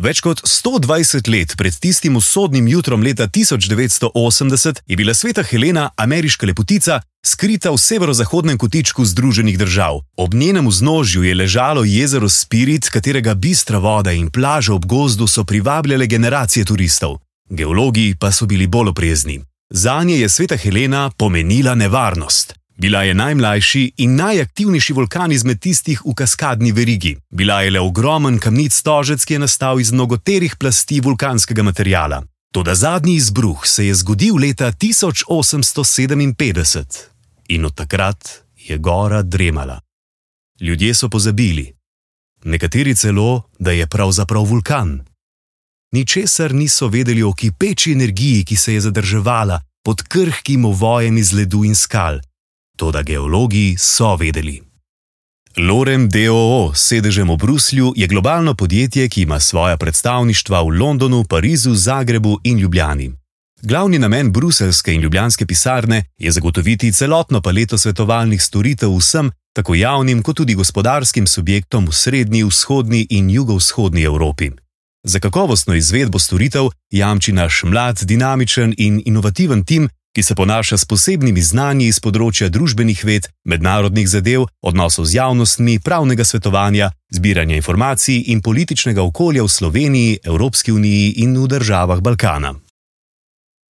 Več kot 120 let pred tistim usodnim jutrom leta 1980 je bila Sveta Helena, ameriška lepotica, skrita v severozahodnem kotičku Združenih držav. Ob njenem vznožju je ležalo jezero Spirit, katerega bistra voda in plaže ob gozdu so privabljale generacije turistov. Geologi pa so bili bolj oprezni. Zanje je Sveta Helena pomenila nevarnost. Bila je najmlajši in najaktivnejši vulkan izmed tistih v kaskadni verigi. Bila je le ogromen kamnit stožec, ki je nastal iz mnogoterih plasti vulkanskega materiala. Toda zadnji izbruh se je zgodil leta 1857 in od takrat je gora dremala. Ljudje so pozabili, nekateri celo, da je pravzaprav vulkan. Ničesar niso vedeli o kipeči energiji, ki se je zadrževala pod krhkim ovojem iz ledu in skal. Toda geologi so vedeli. Lorem d.o.o. s sedežem v Bruslju je globalno podjetje, ki ima svoja predstavništva v Londonu, Parizu, Zagrebu in Ljubljani. Glavni namen bruseljske in ljubljanske pisarne je zagotoviti celotno paleto svetovalnih storitev vsem, tako javnim kot tudi gospodarskim subjektom v srednji, vzhodni in jugovzhodni Evropi. Za kakovostno izvedbo storitev jamči naš mlad, dinamičen in inovativen tim, ki se ponaša s posebnimi znanji iz področja družbenih ved, mednarodnih zadev, odnosov z javnostmi, pravnega svetovanja, zbiranja informacij in političnega okolja v Sloveniji, Evropski uniji in v državah Balkana.